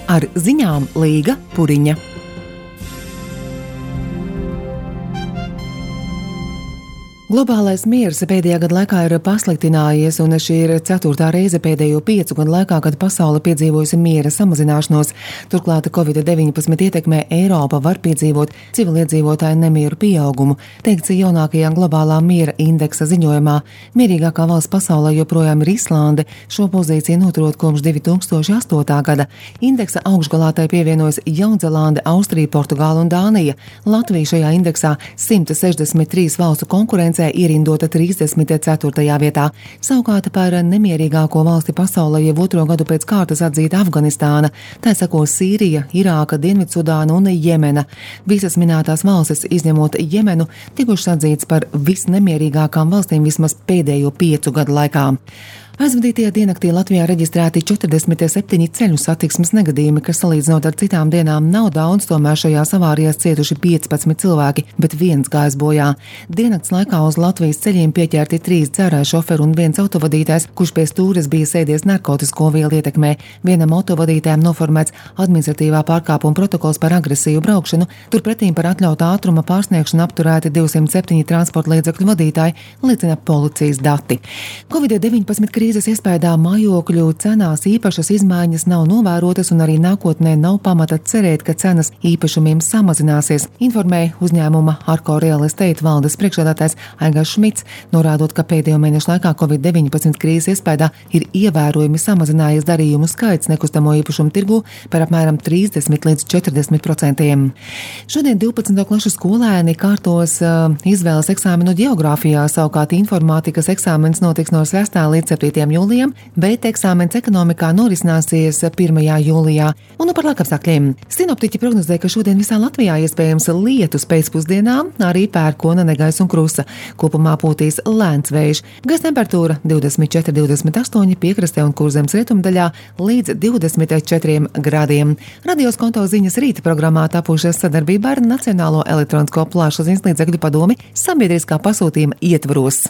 Ar ziņām Līga Puriņa. Globālais miers pēdējā gada laikā ir pasliktinājies, un šī ir 4. reize pēdējo 5 gadu laikā, kad pasaule piedzīvojusi miera samazināšanos. Turklāt Covid-19 ietekmē Eiropa var piedzīvot civiliedzīvotāju nemieru pieaugumu, teikts jaunākajā globālā miera indeksa ziņojumā. Mierīgākā valsts pasaulē joprojām ir Islande, šo pozīciju noturot kopš 2008. gada. Indeksa augšgalā tai pievienojas Jaunzelande, Austrija, Portugāla un Dānija. Latvija šajā indeksā 163 valstu konkurence ierindota 34. vietā. Savukārt par nemierīgāko valsti pasaulē jau 2. gadu pēc kārtas atzīta Afganistāna, tā sako Sīrija, Irāka, Dienvidsudāna un Jemena. Visas minētās valstis, izņemot Jemenu, tikušas atzītas par visnemierīgākām valstīm vismaz pēdējo 5 gadu laikā. Aizvadītajā diennaktī Latvijā reģistrēti 47 ceļu satiksmes negadījumi, kas salīdzinot ar citām dienām nav daudz, tomēr šajās avārijās cietuši 15 cilvēki, bet viens gājis bojā. Diennakts laikā uz Latvijas ceļiem pieķerti 3 dzērāju šoferi un 1 autovadītājs, kurš pie stūres bija sēdies narkotisko vielu ietekmē. Vienam autovadītājam noformēts administratīvā pārkāpuma protokols par agresīvu braukšanu, turpretīm par atļautā ātruma pārsniegšanu apturēti 207 transporta līdzekļu vadītāji, liecina policijas dati. Covid-19 krīzes iespējā mājokļu cenās īpašas izmaiņas nav novērotas un arī nākotnē nav pamata cerēt, ka cenas īpašumiem samazināsies, informēja uzņēmuma Arko Real Estate valdes priekšsēdētājs Aigars Šmits, norādot, ka pēdējo mēnešu laikā Covid-19 krīzes iespējā ir ievērojami samazinājies darījumu skaits nekustamo īpašumu tirgu par apmēram 30 līdz 40%. Šodien 12. klašu skolēni kārtos izvēles eksāmenu ģeogrāfijā, savukārt informātikas eksāmens notiks no 6. līdz 7. jūlijam, bet eksāmens ekonomikā norisināsies 1. jūlijā. Un par laikapstākļiem. Sinoptiķi prognozē, ka šodien visā Latvijā iespējams lietus pēcpusdienā, arī pērkona, negaiss un krusa. Kopumā pūtīs lēns vējš. Gaisa temperatūra 24–28 piekrastē un Kurzemes rietumdaļā līdz 24 grādiem. Radios konto ziņas rīta programmā tapušas sadarbībā ar Nacionālo elektronisko plašsaziņas līdzekļu padomi sabiedriskā pasūtījuma ietvaros.